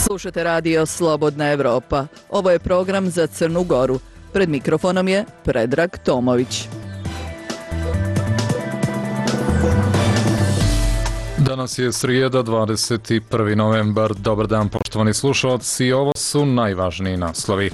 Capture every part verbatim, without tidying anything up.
Slušate radio Slobodna Evropa. Ovo je program za Crnu Goru. Pred mikrofonom je Predrag Tomović. Danas je srijeda, dvadeset prvi novembar. Dobar dan, poštovani slušalci. Ovo su najvažniji naslovi.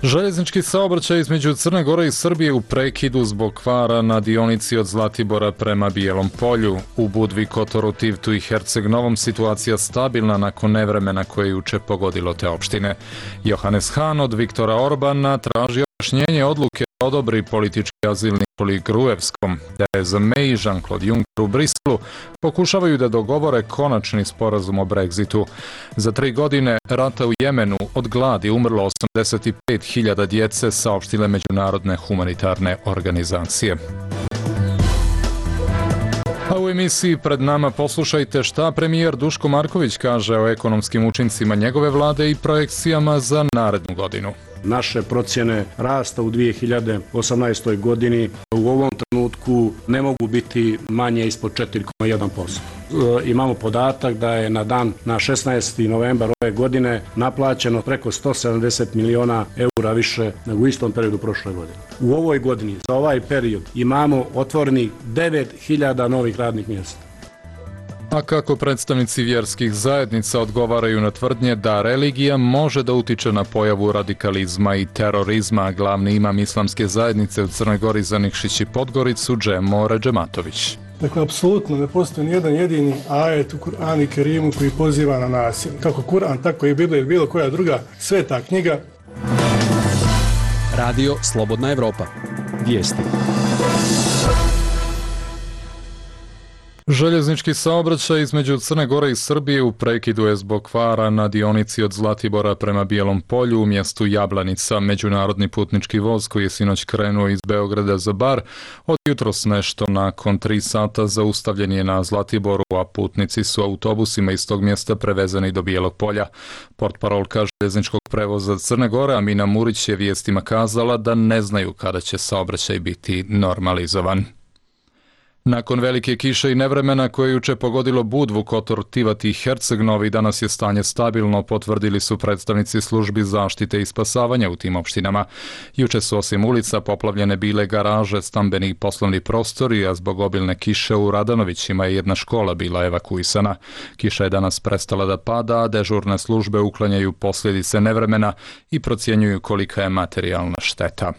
Željeznički saobraćaj između Crne Gore i Srbije u prekidu zbog kvara na dionici od Zlatibora prema Bijelom Polju. U Budvi, Kotoru, Tivtu i Herceg Novom situacija stabilna nakon nevremena koje je juče pogodilo te opštine. Johannes Hahn od Viktora Orbana traži objašnjenje odluke da odobri politički azilni politik Gruevskom. Theresa May i Jean-Claude Juncker u Briselu pokušavaju da dogovore konačni sporazum o Brexitu. Za tri godine rata u Jemenu od gladi umrlo osamdeset pet hiljada djece, saopštile međunarodne humanitarne organizacije. A u emisiji Pred nama poslušajte šta premijer Duško Marković kaže o ekonomskim učincima njegove vlade i projekcijama za narednu godinu. Naše procjene rasta u dvije hiljade osamnaestoj. godini u ovom trenutku ne mogu biti manje ispod četiri zarez jedan posto. E, imamo podatak da je na dan na šesnaesti novembar ove godine naplaćeno preko sto sedamdeset miliona eura više nego u istom periodu prošle godine. U ovoj godini za ovaj period imamo otvorenih devet hiljada novih radnih mjesta. A kako predstavnici vjerskih zajednica odgovaraju na tvrdnje da religija može da utiče na pojavu radikalizma i terorizma, glavni imam islamske zajednice u Crnoj Gori za Nikšić i Podgoricu, Džemo Redžematović. Dakle, apsolutno ne postoji ni jedan jedini ajet u Kur'anu i Kerimu koji poziva na nasilje. Kako Kur'an, tako i Biblija ili bilo koja druga sveta knjiga. Radio Slobodna Evropa. Vijesti. Željeznički saobraćaj između Crne Gore i Srbije u prekidu je zbog kvara na dionici od Zlatibora prema Bijelom Polju u mjestu Jablanica. Međunarodni putnički voz koji je sinoć krenuo iz Beograda za Bar od jutros nešto nakon tri sata zaustavljen je na Zlatiboru, a putnici su autobusima iz tog mjesta prevezani do Bijelog Polja. Portparolka željezničkog prevoza Crne Gore Amina Murić je vijestima kazala da ne znaju kada će saobraćaj biti normalizovan. Nakon velike kiše i nevremena koje je juče pogodilo Budvu, Kotor, Tivat i Herceg Novi, danas je stanje stabilno, potvrdili su predstavnici službi zaštite i spasavanja u tim opštinama. Juče su osim ulica poplavljene bile garaže, stambeni i poslovni prostori, a zbog obilne kiše u Radanovićima je jedna škola bila evakuisana. Kiša je danas prestala da pada, a dežurne službe uklanjaju posljedice nevremena i procjenjuju kolika je materijalna šteta.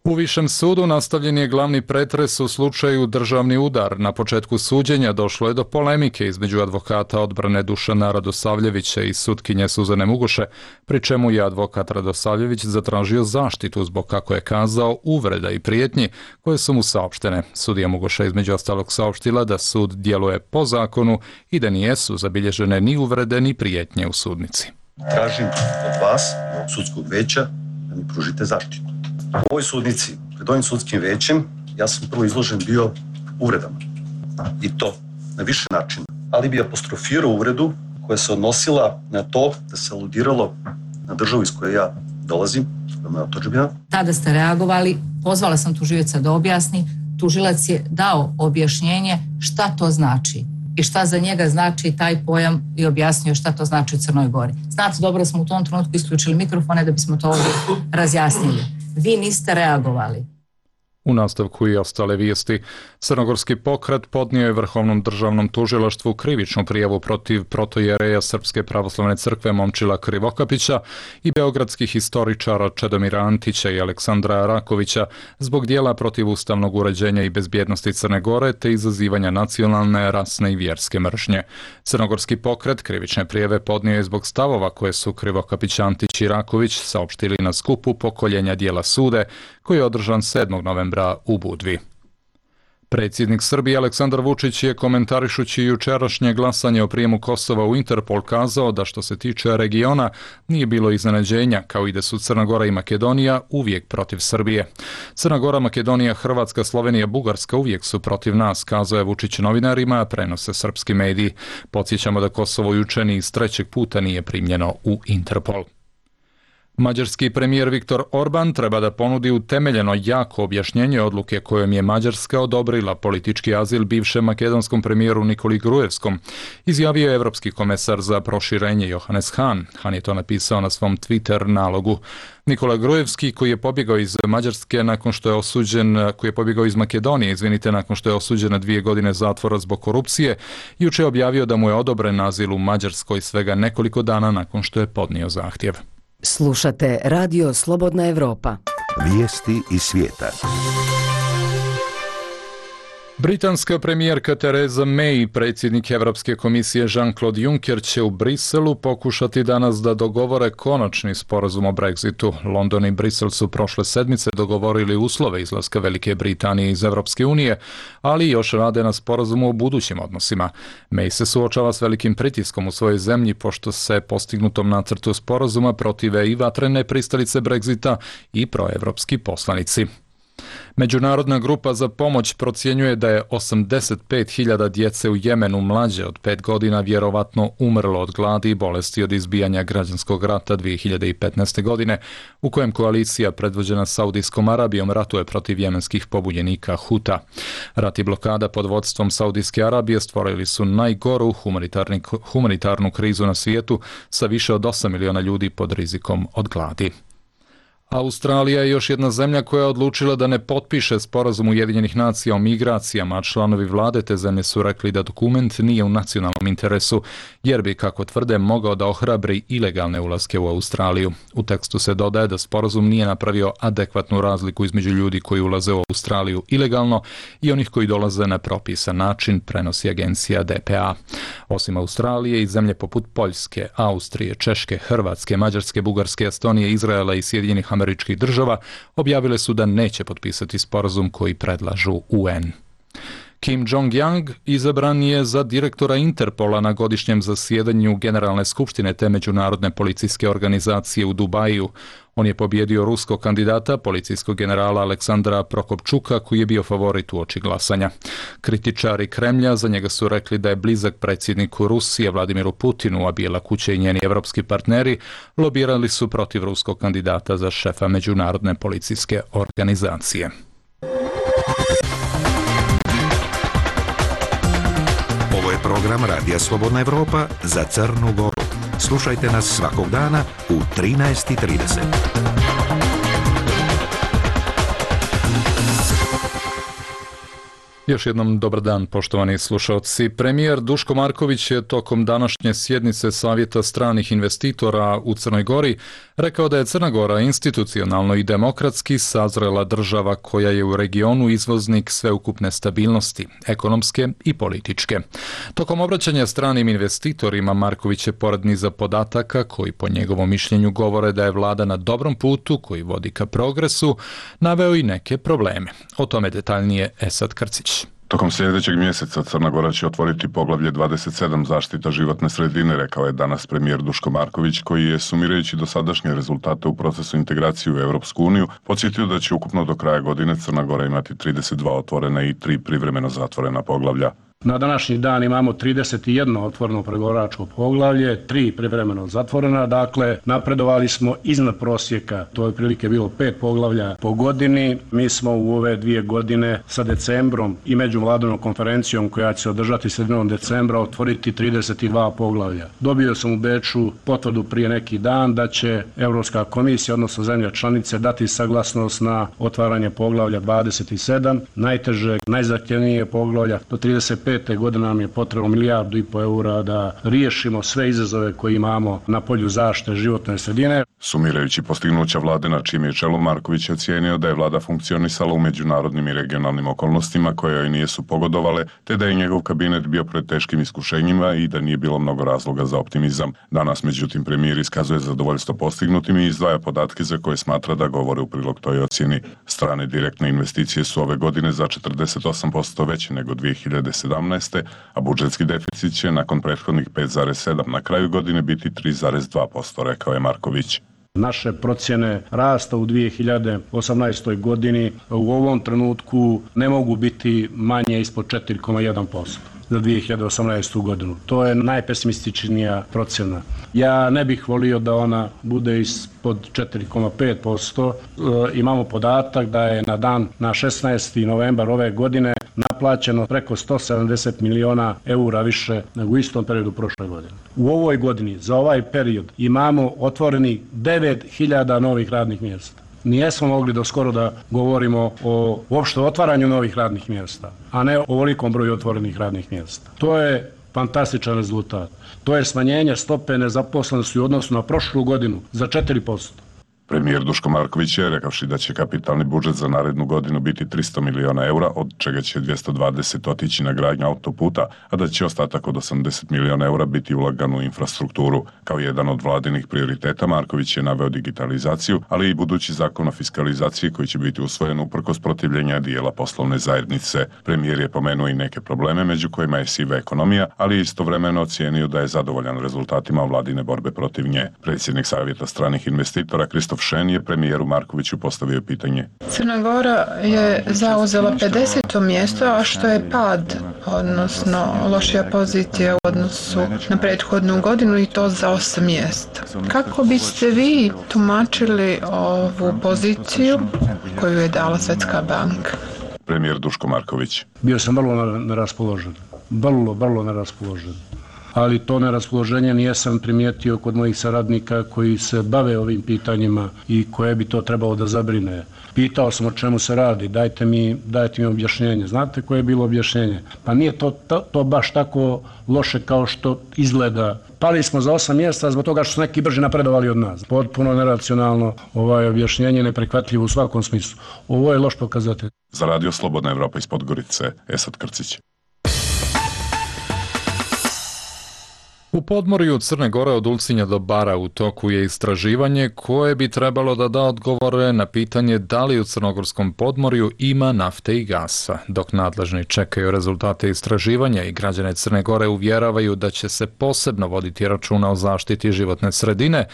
U Višem sudu nastavljen je glavni pretres u slučaju državni udar. Na početku suđenja došlo je do polemike između advokata odbrane Dušana Radosavljevića i sutkinje Suzane Mugoše, pri čemu je advokat Radosavljević zatražio zaštitu zbog, kako je kazao, uvreda i prijetnji koje su mu saopštene. Sudija Mugoša između ostalog saopštila da sud djeluje po zakonu i da nijesu zabilježene ni uvrede ni prijetnje u sudnici. Tražim od vas, od sudskog veća, da mi pružite zaštitu. U ovoj sudnici, pred ovim sudskim većem, ja sam prvo izložen bio uvredama. I to na više načina. Ali bi apostrofirao uvredu koja se odnosila na to da se aludiralo na državu iz koje ja dolazim, koja je moja otadžbina. Tada ste reagovali, pozvala sam tužioca da objasni. Tužilac je dao objašnjenje šta to znači i šta za njega znači taj pojam i objasnio šta to znači u Crnoj Gori. Znate, dobro da smo u tom trenutku isključili mikrofone da bismo to ovdje razjasnili. Vi niste reagovali. U nastavku i ostale vijesti. Crnogorski pokret podnio je Vrhovnom državnom tužilaštvu krivičnu prijavu protiv protojereja Srpske pravoslavne crkve Momčila Krivokapića i beogradskih historičara Čedomira Antića i Aleksandra Rakovića zbog dijela protiv ustavnog uređenja i bezbjednosti Crne Gore te izazivanja nacionalne, rasne i vjerske mržnje. Crnogorski pokret krivične prijave podnio je zbog stavova koje su Krivokapić, Antić i Raković saopštili na skupu pokoljenja dijela sude koji je održan sedmog novembra u Budvi. Predsjednik Srbije Aleksandar Vučić je komentarišući jučerašnje glasanje o prijemu Kosova u Interpol kazao da što se tiče regiona nije bilo iznenađenja, kao i da su Crna Gora i Makedonija uvijek protiv Srbije. Crna Gora, Makedonija, Hrvatska, Slovenija, Bugarska uvijek su protiv nas, kazao je Vučić novinarima, prenose srpski mediji. Podsjećamo da Kosovo juče ni iz trećeg puta nije primljeno u Interpol. Mađarski premijer Viktor Orban treba da ponudi utemeljeno jako objašnjenje odluke kojom je Mađarska odobrila politički azil bivšem makedonskom premijeru Nikoli Grujevskom, izjavio je evropski komesar za proširenje Johannes Hahn. Hahn je to napisao na svom Twitter nalogu. Nikola Grujevski, koji je pobjegao iz Mađarske nakon što je osuđen, koji je pobjegao iz Makedonije, izvinite, nakon što je osuđen na dvije godine zatvora zbog korupcije, juče je objavio da mu je odobren azil u Mađarskoj svega nekoliko dana nakon što je podnio zahtjev. Slušate Radio Slobodna Evropa. Vijesti iz svijeta. Britanska premijerka Theresa May i predsjednik Europske komisije Jean-Claude Juncker će u Briselu pokušati danas da dogovore konačni sporazum o Brexitu. London i Brisel su prošle sedmice dogovorili uslove izlaska Velike Britanije iz Europske unije, ali još rade na sporazumu o budućim odnosima. May se suočava s velikim pritiskom u svojoj zemlji pošto se postignutom nacrtu sporazuma protive i vatrene pristalice Brexita i proevropski poslanici. Međunarodna grupa za pomoć procjenjuje da je osamdeset pet hiljada djece u Jemenu mlađe od pet godina vjerovatno umrlo od gladi i bolesti od izbijanja građanskog rata dvije hiljade petnaeste. godine, u kojem koalicija predvođena Saudijskom Arabijom ratuje protiv jemenskih pobunjenika Huta. Rat i blokada pod vodstvom Saudijske Arabije stvorili su najgoru humanitarnu krizu na svijetu sa više od osam miliona ljudi pod rizikom od gladi. Australija je još jedna zemlja koja je odlučila da ne potpiše sporazum Ujedinjenih nacija o migracijama, a članovi vlade te zemlje su rekli da dokument nije u nacionalnom interesu, jer bi, kako tvrde, mogao da ohrabri ilegalne ulaske u Australiju. U tekstu se dodaje da sporazum nije napravio adekvatnu razliku između ljudi koji ulaze u Australiju ilegalno i onih koji dolaze na propisan način, prenosi agencija D P A. Osim Australije i zemlje poput Poljske, Austrije, Češke, Hrvatske, Mađarske, Bugarske, Estonije, Izraela i Sjedinjenih Američkih Država objavile su da neće potpisati sporazum koji predlažu U N. Kim Jong-yang izabran je za direktora Interpola na godišnjem zasjedanju Generalne skupštine te međunarodne policijske organizacije u Dubaju. On je pobjedio ruskog kandidata, policijskog generala Aleksandra Prokopčuka, koji je bio favorit uoči glasanja. Kritičari Kremlja za njega su rekli da je blizak predsjedniku Rusije Vladimiru Putinu, a Bijela kuća i njeni evropski partneri lobirali su protiv ruskog kandidata za šefa međunarodne policijske organizacije. Ovo je program Radija Slobodna Evropa za Crnu Goru. Slušajte nas svakog dana u trinaest i trideset. Još jednom dobar dan, poštovani slušalci. Premijer Duško Marković je tokom današnje sjednice Savjeta stranih investitora u Crnoj Gori rekao da je Crna Gora institucionalno i demokratski sazrela država koja je u regionu izvoznik sveukupne stabilnosti, ekonomske i političke. Tokom obraćanja stranim investitorima Marković je pored niza podataka koji po njegovom mišljenju govore da je vlada na dobrom putu koji vodi ka progresu, naveo i neke probleme. O tome detaljnije Esad Krcić. Tokom sljedećeg mjeseca Crna Gora će otvoriti poglavlje dvadeset sedam zaštita životne sredine, rekao je danas premijer Duško Marković, koji je, sumirajući dosadašnje rezultate u procesu integracije u Europsku uniju, podsjetio da će ukupno do kraja godine Crna Gora imati trideset dva otvorena i tri privremeno zatvorena poglavlja. Na današnji dan imamo trideset jedno otvoreno pregovaračko poglavlje, tri privremeno zatvorena, dakle napredovali smo iznad prosjeka, to je otprilike bilo pet poglavlja po godini. Mi smo u ove dvije godine sa decembrom i međuvladinom konferencijom koja će se održati sredinom decembra otvoriti trideset dva poglavlja. Dobio sam u Beču potvrdu prije neki dan da će Europska komisija, odnosno zemlje članice, dati saglasnost na otvaranje poglavlja dvadeset sedam, najtežeg, najzahtjevnije poglavlja. Do trideset pete godine nam je potrebno milijardu i po eura da riješimo sve izazove koje imamo na polju zaštite životne sredine. Sumirajući postignuća vlade na čijem je čelu, Marković je ocijenio da je vlada funkcionisala u međunarodnim i regionalnim okolnostima koje joj nisu pogodovale, te da je njegov kabinet bio pred teškim iskušenjima i da nije bilo mnogo razloga za optimizam. Danas, međutim, premijer iskazuje zadovoljstvo postignutim i izdvaja podatke za koje smatra da govore u prilog toj ocjeni. Strane direktne investicije su ove godine za četrdeset osam posto veće nego dvije hiljade sedamnaeste. a budžetski deficit će nakon prethodnih pet zarez sedam na kraju godine biti tri zarez dva posto, rekao je Marković. Naše procjene rasta u dvije hiljade osamnaestoj. godini u ovom trenutku ne mogu biti manje ispod četiri zarez jedan posto. za dvije hiljade osamnaestu. godinu. To je najpesimističnija procjena. Ja ne bih volio da ona bude ispod četiri zarez pet posto. E, imamo podatak da je na dan na šesnaesti novembar ove godine naplaćeno preko sto sedamdeset miliona eura više nego u istom periodu prošle godine. U ovoj godini, za ovaj period, imamo otvoreni devet hiljada novih radnih mjesta. Nijesmo mogli do skoro da govorimo o uopšte otvaranju novih radnih mjesta, a ne o ovolikom broju otvorenih radnih mjesta. To je fantastičan rezultat. To je smanjenje stope nezaposlenosti u odnosu na prošlu godinu za četiri posto. Premijer Duško Marković je rekavši da će kapitalni budžet za narednu godinu biti tristo miliona eura, od čega će dvjesto dvadeset otići na gradnju autoputa, a da će ostatak od osamdeset miliona eura biti ulagan u infrastrukturu. Kao jedan od vladinih prioriteta Marković je naveo digitalizaciju, ali i budući zakon o fiskalizaciji koji će biti usvojen uprkos protivljenja dijela poslovne zajednice. Premijer je pomenuo i neke probleme, među kojima je siva ekonomija, ali istovremeno ocijenio da je zadovoljan rezultatima vladine borbe protiv nje. Predsjednik Savjeta stranih investitora Kristof Šen je premijeru Markoviću postavio pitanje. Crna Gora je zauzela pedeseto mjesto, a što je pad, odnosno lošija pozicija u odnosu na prethodnu godinu i to za osam mjesta. Kako biste vi tumačili ovu poziciju koju je dala Svjetska banka? Premijer Duško Marković. Bio sam vrlo neraspoložen. Vrlo, vrlo neraspoložen. Ali to neraspoloženje nijesam primijetio kod mojih saradnika koji se bave ovim pitanjima i koje bi to trebalo da zabrine. Pitao sam o čemu se radi, dajte mi, dajte mi objašnjenje. Znate koje je bilo objašnjenje? Pa nije to, to, to baš tako loše kao što izgleda. Pali smo za osam mjesta zbog toga što su neki brže napredovali od nas. Potpuno neracionalno, ovaj objašnjenje neprihvatljivo u svakom smislu. Ovo je loš pokazatelj. Za radio Slobodna Evropa iz Podgorice, Esad Krcić. U podmorju Crne Gore od Ulcinja do Bara u toku je istraživanje koje bi trebalo da da odgovore na pitanje da li u crnogorskom podmorju ima nafte i gasa. Dok nadležni čekaju rezultate istraživanja i građane Crne Gore uvjeravaju da će se posebno voditi računa o zaštiti životne sredine,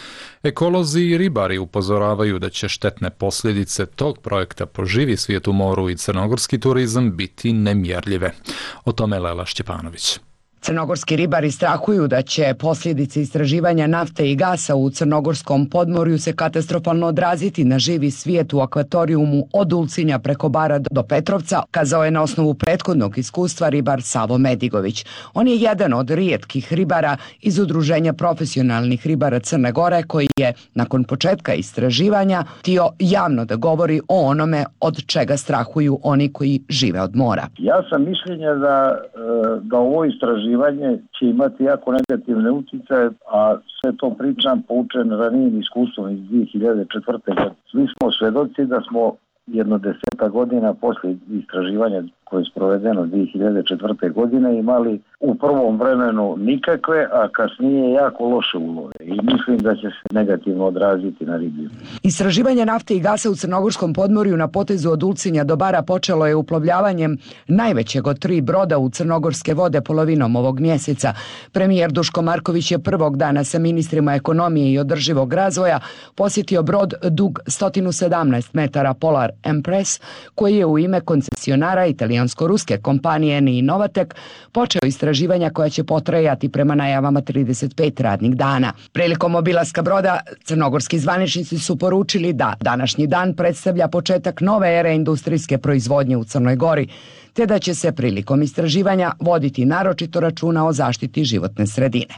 ekolozi i ribari upozoravaju da će štetne posljedice tog projekta po živi svijet u moru i crnogorski turizam biti nemjerljive. O tome Lela Šćepanović. Crnogorski ribari strahuju da će posljedice istraživanja nafte i gasa u crnogorskom podmorju se katastrofalno odraziti na živi svijet u akvatorijumu od Ulcinja preko Bara do Petrovca, kazao je na osnovu prethodnog iskustva ribar Savo Medigović. On je jedan od rijetkih ribara iz Udruženja profesionalnih ribara Crne Gore koji je, nakon početka istraživanja, htio javno da govori o onome od čega strahuju oni koji žive od mora. Ja sam mišljenja da, da ovo istraživanje će imati jako negativne utjecaje, a sve to pričam poučen ranijim iskustvom iz dvije hiljade četvrte. Svi smo svedoci da smo jedno deseta godina poslije istraživanja koje je sprovedeno dvije hiljade četvrte. godine imali u prvom vremenu nikakve, a kasnije jako loše ulove i mislim da će se negativno odraziti na ribljinu. Istraživanje nafte i gasa u crnogorskom podmorju na potezu od Ulcinja do Bara počelo je uplovljavanjem najvećeg od tri broda u crnogorske vode polovinom ovog mjeseca. Premijer Duško Marković je prvog dana sa ministrima ekonomije i održivog razvoja posjetio brod dug sto sedamnaest metara Polar Empress koji je u ime koncesionara italijansko-ruske kompanije Eni Novatek počeo istraživanja koja će potrajati prema najavama trideset pet radnih dana. Prilikom obilaska broda crnogorski zvaničnici su poručili da današnji dan predstavlja početak nove ere industrijske proizvodnje u Crnoj Gori, te da će se prilikom istraživanja voditi naročito računa o zaštiti životne sredine.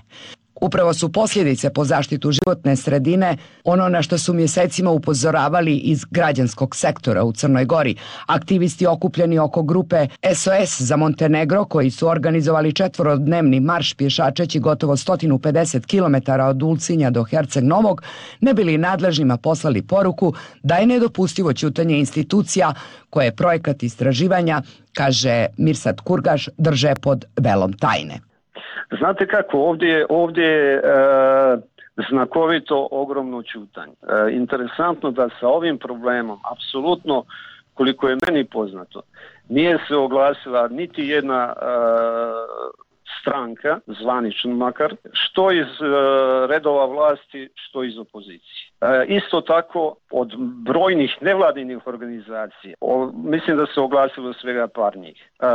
Upravo su posljedice po zaštitu životne sredine ono na što su mjesecima upozoravali iz građanskog sektora u Crnoj Gori. Aktivisti okupljeni oko grupe S O S za Montenegro koji su organizovali četvorodnevni marš pješačeći gotovo sto pedeset kilometara od Ulcinja do Herceg Novog ne bili nadležnima poslali poruku da je nedopustivo ćutanje institucija koje projekat istraživanja, kaže Mirsad Kurgaš, drže pod velom tajne. Znate kako, ovdje, ovdje je e, znakovito ogromno ćutanje. E, interesantno da sa ovim problemom, apsolutno, koliko je meni poznato, nije se oglasila niti jedna e, stranka, zvanično makar, što iz e, redova vlasti, što iz opozicije. E, isto tako od brojnih nevladinih organizacija, o, mislim da se oglasilo svega par njih. E,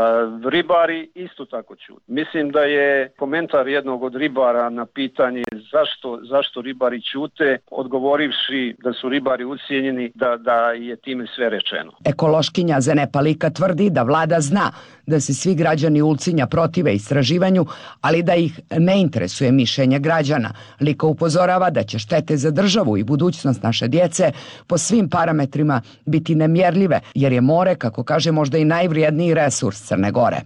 ribari isto tako čuju. Mislim da je komentar jednog od ribara na pitanje zašto, zašto ribari ćute, odgovorivši da su ribari ucijenjeni, da, da je time sve rečeno. Ekološkinja Zenepa Lika tvrdi da vlada zna da se svi građani Ulcinja protive istraživanju, ali da ih ne interesuje mišljenje građana. Lika upozorava da će štete za državu i budućnost naše djece po svim parametrima biti nemjerljive, jer je more, kako kaže, možda i najvrijedniji resurs Crne Gore.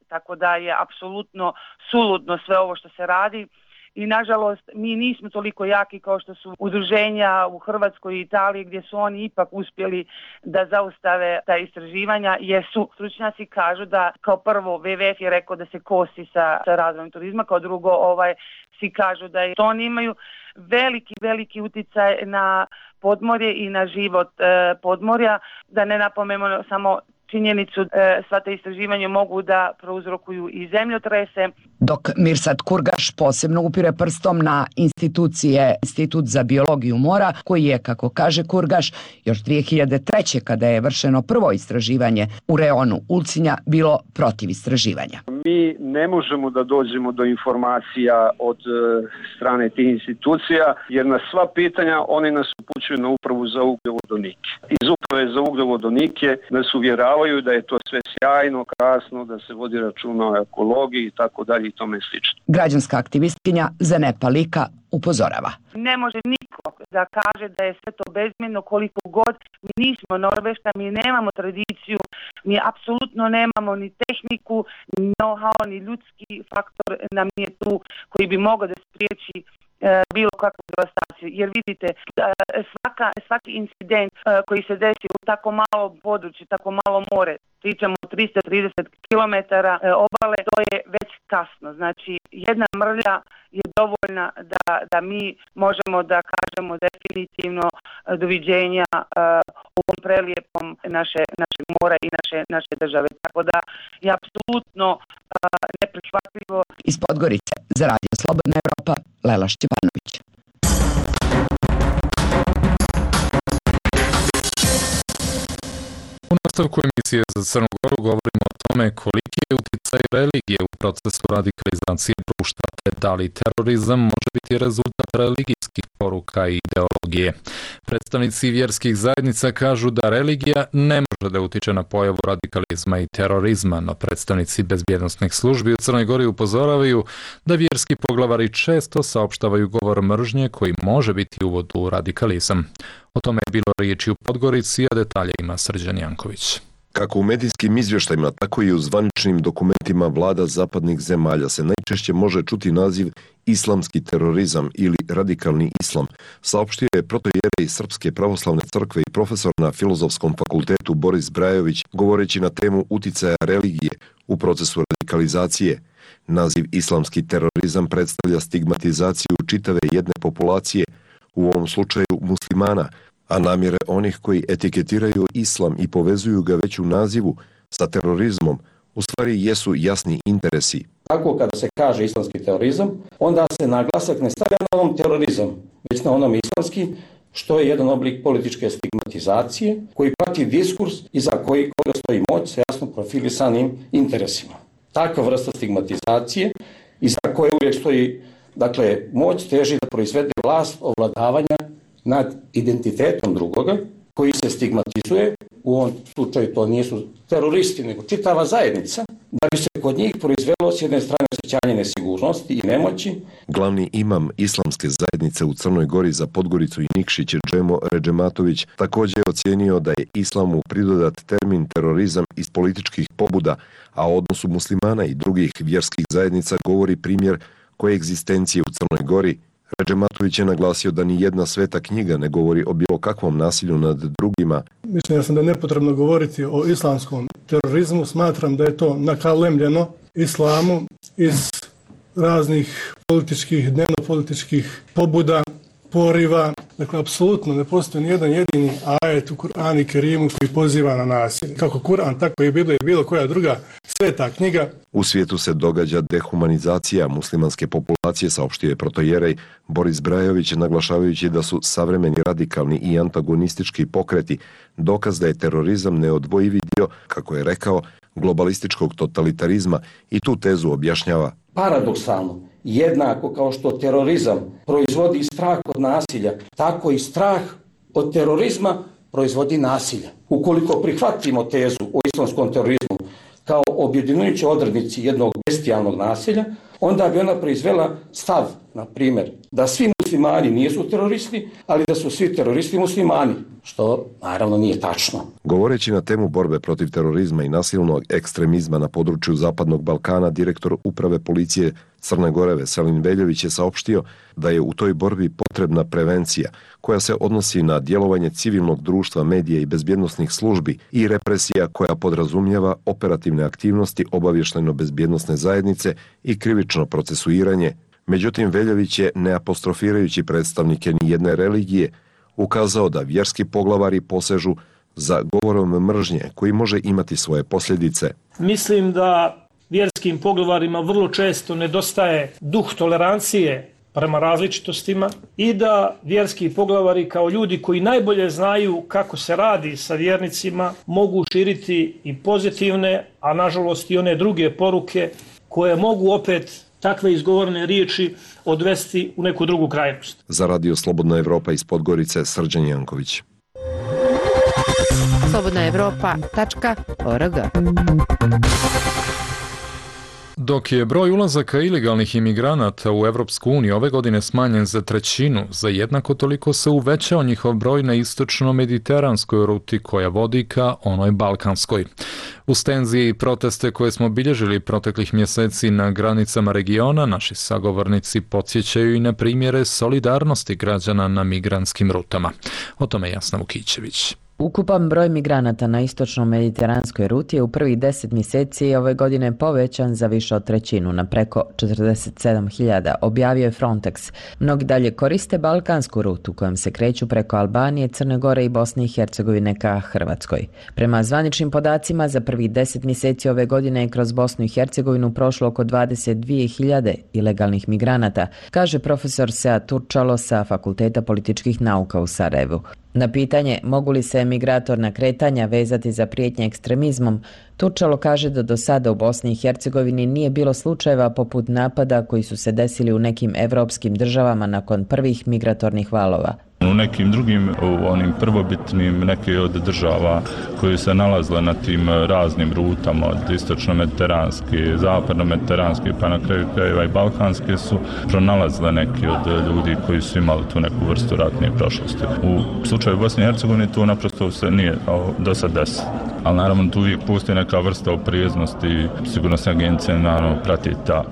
Tako da je apsolutno suludno sve ovo što se radi. I nažalost mi nismo toliko jaki kao što su udruženja u Hrvatskoj i Italiji, gdje su oni ipak uspjeli da zaustave ta istraživanja, jer su stručnjaci kažu da kao prvo W W F je rekao da se kosi sa, sa razvojem turizma, kao drugo ovaj, svi kažu da je, to oni imaju veliki, veliki utjecaj na podmorje i na život e, podmorja, da ne napomenemo samo činjenicu e, sva te istraživanja mogu da prouzrokuju i zemljotrese. Dok Mirsad Kurgaš posebno upire prstom na institucije Institut za biologiju mora, koji je, kako kaže Kurgaš, još dvije hiljade treće. kada je vršeno prvo istraživanje u reonu Ulcinja, bilo protiv istraživanja. Mi ne možemo da dođemo do informacija od e, strane tih institucija, jer na sva pitanja oni nas upućuju na upravu za ugljovodonike. Iz uprave za ugljovodonike nas uvjeravaju da je to sve sjajno, krasno, da se vodi računa o ekologiji i tako dalje i tome slično. Građanska aktivistkinja Zenepa Lika upozorava. Ne može niko da kaže da je sve to bezmjerno koliko god. Mi nismo Norveška, mi nemamo tradiciju, mi apsolutno nemamo ni tehniku, ni know-how, ni ljudski faktor nam nije tu koji bi mogao da spriječi e, bilo kakvu devastaciju. Jer vidite, e, svaka, svaki incident e, koji se desi u tako malo području, tako malo more, pričamo o tristo trideset kilometara e, obale, to je već kasno. Znači, jedna mrlja je dovoljna da, da mi možemo da kažemo definitivno e, doviđenja e, ovom prelijepom naše, naše mora i naše, naše države. Tako da je apsolutno e, neprihvatljivo. Iz Podgorice za Radio Slobodna Evropa, Lela Šćepanović. U nastavku emisije za Crnu Goru govorimo o tome koliki je utjecaj religije u procesu radikalizacije društva, te da li terorizam može biti rezultat religijskih poruka i ideologije. Predstavnici vjerskih zajednica kažu da religija ne može da utiče na pojavu radikalizma i terorizma, no predstavnici bezbjednosnih službi u Crnoj Gori upozoravaju da vjerski poglavari često saopštavaju govor mržnje koji može biti uvod u radikalizam. O tome je bilo riječi u Podgorici, a detalje ima Srđan Janković. Kako u medijskim izvještajima, tako i u zvaničnim dokumentima vlada zapadnih zemalja se najčešće može čuti naziv islamski terorizam ili radikalni islam, saopštio je protoijerej Srpske pravoslavne crkve i profesor na Filozofskom fakultetu Boris Brajović, govoreći na temu uticaja religije u procesu radikalizacije. Naziv islamski terorizam predstavlja stigmatizaciju čitave jedne populacije, u ovom slučaju muslimana, a namjere onih koji etiketiraju islam i povezuju ga već u nazivu sa terorizmom u stvari jesu jasni interesi. Tako kada se kaže islamski terorizam, onda se naglasak ne stavlja na onom terorizam, već na onom islamski, što je jedan oblik političke stigmatizacije koji prati diskurs i za koji koga stoji moć sa jasno profilisanim interesima. Takva vrsta stigmatizacije i za koje uvijek stoji, dakle, moć teži da proizvede vlast ovladavanja nad identitetom drugoga, koji se stigmatizuje, u ovom slučaju to nisu teroristi, nego čitava zajednica, da bi se kod njih proizvelo s jedne strane osjećanje nesigurnosti i nemoći. Glavni imam islamske zajednice u Crnoj Gori za Podgoricu i Nikšić, Džemo Redžematović, također je ocijenio da je islamu pridodat termin terorizam iz političkih pobuda, a o odnosu muslimana i drugih vjerskih zajednica govori primjer koegzistencije u Crnoj Gori. Redžematović je naglasio da ni jedna sveta knjiga ne govori o bilo kakvom nasilju nad drugima. Mislim da sam da je nepotrebno govoriti o islamskom terorizmu. Smatram da je to nakalemljeno islamu iz raznih političkih, dnevno-političkih pobuda, poriva. Dakle, apsolutno ne postoji nijedan jedini ajet u Kur'anu i Kerimu koji poziva na nasilje. Kako Kur'an, tako i Biblija i bilo koja druga sveta knjiga. U svijetu se događa dehumanizacija muslimanske populacije, saopštio je protojerej Boris Brajović, naglašavajući da su savremeni radikalni i antagonistički pokreti dokaz da je terorizam neodvojivi dio, kako je rekao, globalističkog totalitarizma i tu tezu objašnjava. Paradoksalno, jednako kao što terorizam proizvodi strah od nasilja, tako i strah od terorizma proizvodi nasilja. Ukoliko prihvatimo tezu o islamskom terorizmu kao objedinjujući odrednici jednog bestijalnog nasilja, onda bi ona proizvela stav, na primjer, da svi muslimani nisu teroristi, ali da su svi teroristi muslimani, što naravno nije tačno. Govoreći na temu borbe protiv terorizma i nasilnog ekstremizma na području Zapadnog Balkana, direktor uprave policije Crne Gore Veselin Veljović je saopštio da je u toj borbi potrebna prevencija koja se odnosi na djelovanje civilnog društva, medija i bezbjednosnih službi i represija koja podrazumijeva operativne aktivnosti obavještajno-bezbjednosne zajednice i krivično procesuiranje. Međutim, Veljović je, ne apostrofirajući predstavnike nijedne religije, ukazao da vjerski poglavari posežu za govorom mržnje koji može imati svoje posljedice. Mislim da vjerskim poglavarima vrlo često nedostaje duh tolerancije prema različitostima i da vjerski poglavari kao ljudi koji najbolje znaju kako se radi sa vjernicima mogu širiti i pozitivne, a nažalost i one druge poruke koje mogu opet takve izgovorene riječi odvesti u neku drugu krajnost. Za Radio Slobodna Evropa iz Podgorice, Srđan Janković. slobodna evropa tačka org. Dok je broj ulazaka ilegalnih imigranata u Evropsku uniju ove godine smanjen za trećinu, za jednako toliko se uvećao njihov broj na istočno-mediteranskoj ruti koja vodi ka onoj balkanskoj. Uz tenzije i proteste koje smo bilježili proteklih mjeseci na granicama regiona, naši sagovornici podsjećaju i na primjere solidarnosti građana na migrantskim rutama. O tome Jasna Vukićević. Ukupan broj migranata na istočno-mediteranskoj ruti je u prvih deset mjeseci ove godine povećan za više od trećinu, na preko četrdeset sedam hiljada, objavio je Frontex. Mnogi dalje koriste balkansku rutu kojom se kreću preko Albanije, Crne Gore i Bosne i Hercegovine ka Hrvatskoj. Prema zvaničnim podacima, za prvih deset mjeseci ove godine je kroz Bosnu i Hercegovinu prošlo oko dvadeset dvije hiljade ilegalnih migranata, kaže profesor Sead Turčalo sa Fakulteta političkih nauka u Sarajevu. Na pitanje mogu li se emigratorna kretanja vezati za prijetnje ekstremizmom, Turčalo kaže da do sada u Bosni i Hercegovini nije bilo slučajeva poput napada koji su se desili u nekim evropskim državama nakon prvih migratornih valova. U nekim drugim, u onim prvobitnim, neke od država koje se nalazile na tim raznim rutama, od istočno-mediteranske, zapadno-mediteranske, pa na kraju krajeva i balkanske, su pronalazile neki od ljudi koji su imali tu neku vrstu ratne prošlosti. U slučaju Bosne i Hercegovine to naprosto se nije do sad desilo. Ali naravno tu uvijek postoji neka vrsta oprijeznosti, sigurnosne agencije naravno prati ta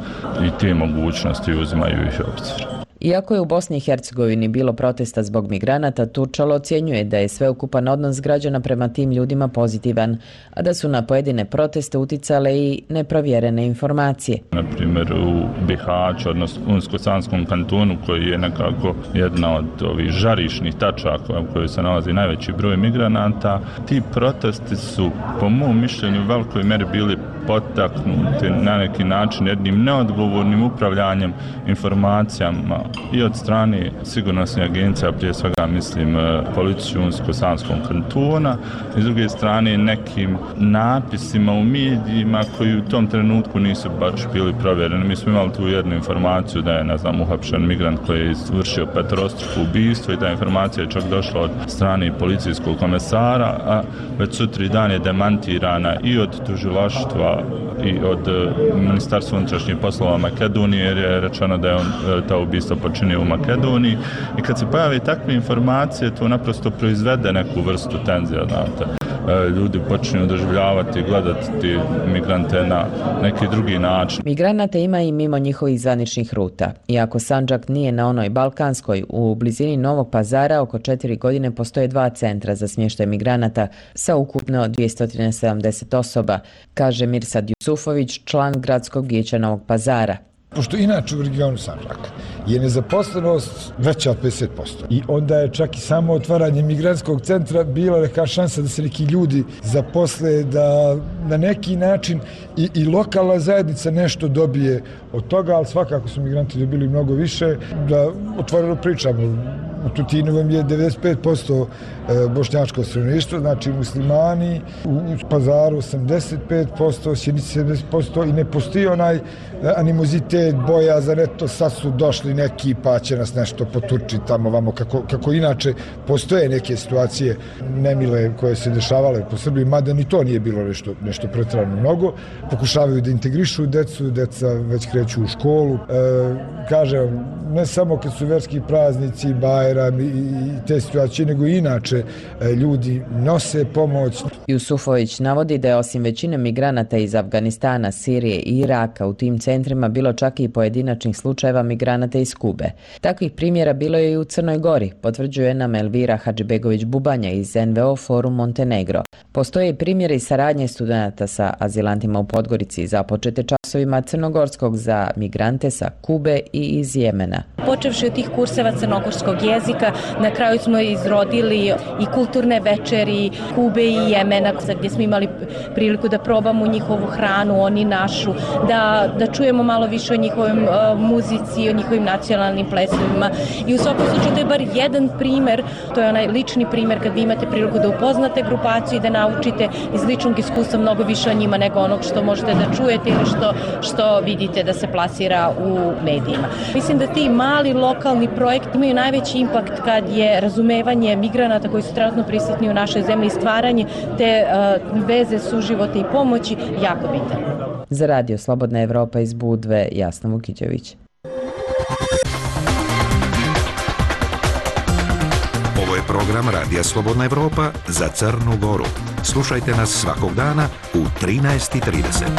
i te mogućnosti uzimaju ih u obzir. Iako je u Bosni i Hercegovini bilo protesta zbog migranata, Turčalo ocjenjuje da je sveukupan odnos građana prema tim ljudima pozitivan, a da su na pojedine proteste uticale i neprovjerene informacije. Na primjer u Bihaću, odnosno Unsko-Sanskom kantonu, koji je nekako jedna od ovih žarišnih tačaka u kojoj se nalazi najveći broj migranata, ti protesti su, po mom mišljenju, u velikoj meri bili potaknuti na neki način jednim neodgovornim upravljanjem informacijama i od strane sigurnosne agencije, prije svega mislim policiju Unsko-Sanskog kantona, i s druge strane nekim napisima u medijima koji u tom trenutku nisu baš bili provjereni. Mi smo imali tu jednu informaciju da je, ne znam, uhapšen migrant koji je izvršio peterostruko ubistvo i ta informacija je čak došla od strane policijskog komesara, a već sutri dan je demantirana i od tužilaštva i od Ministarstva unutrašnjih poslova Makedonije, jer je rečeno da je on ta ubistva počinio u Makedoniji. I kad se pojave takve informacije, to naprosto proizvede neku vrstu tenzija, znate. Ljudi počinju doživljavati i gledati migrante na neki drugi način. Migranata ima i mimo njihovih zvaničnih ruta. Iako Sandžak nije na onoj balkanskoj, u blizini Novog Pazara oko četiri godine postoje dva centra za smještaj migranata sa ukupno dvjesto sedamdeset osoba, kaže Mirsad Jusufović, član gradskog vijeća Novog Pazara. Pošto inače u regionu Sandžaka je nezaposlenost veća od pedeset posto. I onda je čak i samo otvaranje migrantskog centra bila neka šansa da se neki ljudi zaposle, da na neki način i, i lokalna zajednica nešto dobije od toga, ali svakako su migranti dobili mnogo više. Da otvoreno pričamo, u Tutinu vam je devedeset pet posto bošnjačko stanovništvo, znači muslimani, u Pazaru osamdeset pet posto, Sjenici sedamdeset posto i ne postoji onaj animozitet, bojazan, eto sad su došli neki pa će nas nešto potući tamo vamo, kako, kako inače postoje neke situacije nemile koje se dešavale po Srbiji, mada ni to nije bilo nešto, nešto pretrano mnogo. Pokušavaju da integrišu decu, deca već kreću u školu. E, kažem, ne samo kad su verski praznici, Bajram i, i te situacije, nego i inače e, ljudi nose pomoć. Jusufović navodi da je osim većine migranata iz Afganistana, Sirije i Iraka u tim centrima bilo čak i pojedinačnih slučajeva migranata iz Kube. Takvih primjera bilo je i u Crnoj Gori, potvrđuje nam Elvira Hadžibegović-Bubanja iz en ve o Forum Montenegro. Postoje i primjeri saradnje studenata sa azilantima u Podgorici započete časovima crnogorskog za migrante sa Kube i iz Jemena. Počevši od tih kurseva crnogorskog jezika, na kraju smo izrodili i kulturne večeri Kube i Jemena, gdje smo imali priliku da probamo njihovu hranu, oni našu, da, da čujemo malo više o njihovim uh, muzici, o njihovim nacionalnim plesovima. I u svakom slučaju to je bar jedan primjer, to je onaj lični primjer kad vi imate priliku da upoznate grupaciju i da naučite iz ličnog iskustva mnogo više o njima nego onog što možete da čujete ili što, što vidite da se plasira u medijima. Mislim da ti mali lokalni projekti imaju najveći impakt kad je razumevanje migranata koji su trenutno prisutni u našoj zemlji i stvaranje te uh, veze suživota i pomoći jako bitan. Za Radio Slobodna Evropa iz Budve, Jasna Vukićević. Ovo je program Radija Slobodna Evropa za Crnu Goru. Slušajte nas svakog dana u trinaest i trideset.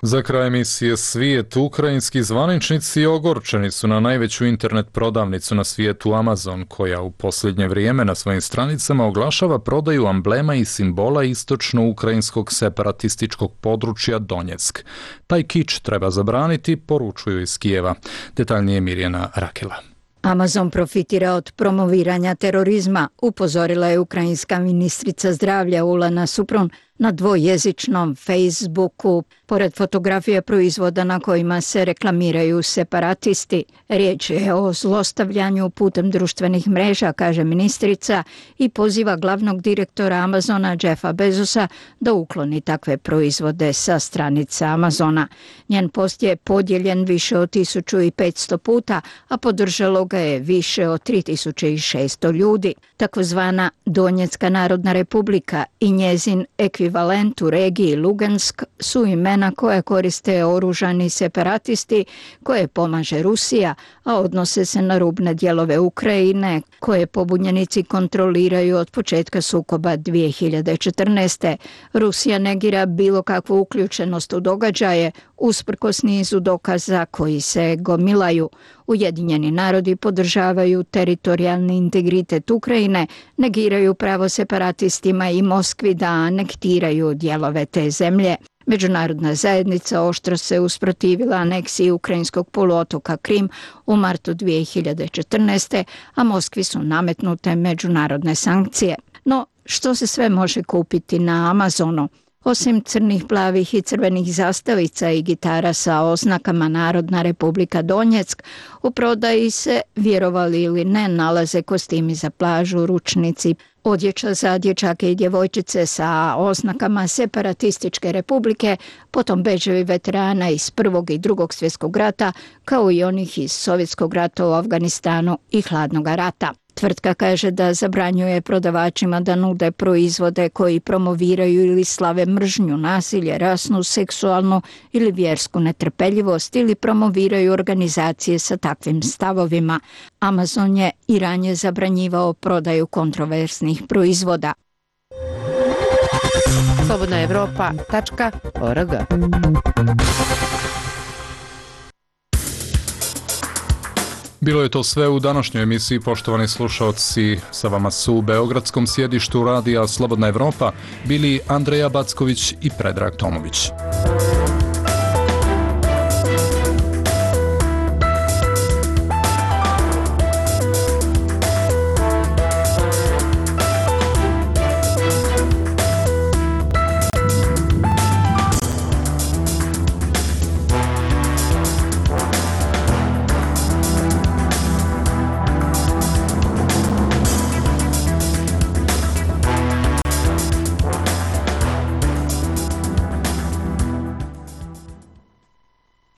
Za kraj emisije Svijet, ukrajinski zvaničnici ogorčeni su na najveću internet prodavnicu na svijetu Amazon, koja u posljednje vrijeme na svojim stranicama oglašava prodaju amblema i simbola istočno-ukrajinskog separatističkog područja Donjeck. Taj kič treba zabraniti, poručuju iz Kijeva. Detaljnije Mirjana Rakela. Amazon profitira od promoviranja terorizma, upozorila je ukrajinska ministrica zdravlja Ulana Suprun na dvojezičnom Facebooku. Pored fotografije proizvoda na kojima se reklamiraju separatisti, riječ je o zlostavljanju putem društvenih mreža, kaže ministrica, i poziva glavnog direktora Amazona Jeffa Bezosa da ukloni takve proizvode sa stranice Amazona. Njen post je podijeljen više od tisuću petsto puta, a podržalo ga je više od tri tisuće šesto ljudi. Takozvana Donjecka narodna republika i njezin ekvivalent u regiji Lugansk su imena koje koriste oružani separatisti, koje pomaže Rusija, a odnose se na rubne dijelove Ukrajine, koje pobunjenici kontroliraju od početka sukoba dvije hiljade četrnaeste. Rusija negira bilo kakvu uključenost u događaje, usprkos nizu dokaza koji se gomilaju. Ujedinjeni narodi podržavaju teritorijalni integritet Ukrajine, negiraju pravo separatistima i Moskvi da anektiraju dijelove te zemlje. Međunarodna zajednica oštro se usprotivila aneksiji ukrajinskog poluotoka Krim u martu dvije hiljade četrnaeste, a Moskvi su nametnute međunarodne sankcije. No, što se sve može kupiti na Amazonu? Osim crnih, plavih i crvenih zastavica i gitara sa oznakama Narodna republika Donjeck, u prodaji se, vjerovali ili ne, nalaze kostimi za plažu, ručnici, odjeća za dječake i djevojčice sa oznakama separatističke republike, potom bedževi veterana iz Prvog i Drugog svjetskog rata, kao i onih iz Sovjetskog rata u Afganistanu i Hladnog rata. Tvrtka kaže da zabranjuje prodavačima da nude proizvode koji promoviraju ili slave mržnju, nasilje, rasnu, seksualnu ili vjersku netrpeljivost ili promoviraju organizacije sa takvim stavovima. Amazon je i ranije zabranjivao prodaju kontroverznih proizvoda. Slobodna Evropa tačka org. Bilo je to sve u današnjoj emisiji, poštovani slušalci. Sa vama su u beogradskom sjedištu radija Slobodna Evropa bili Andreja Backović i Predrag Tomović.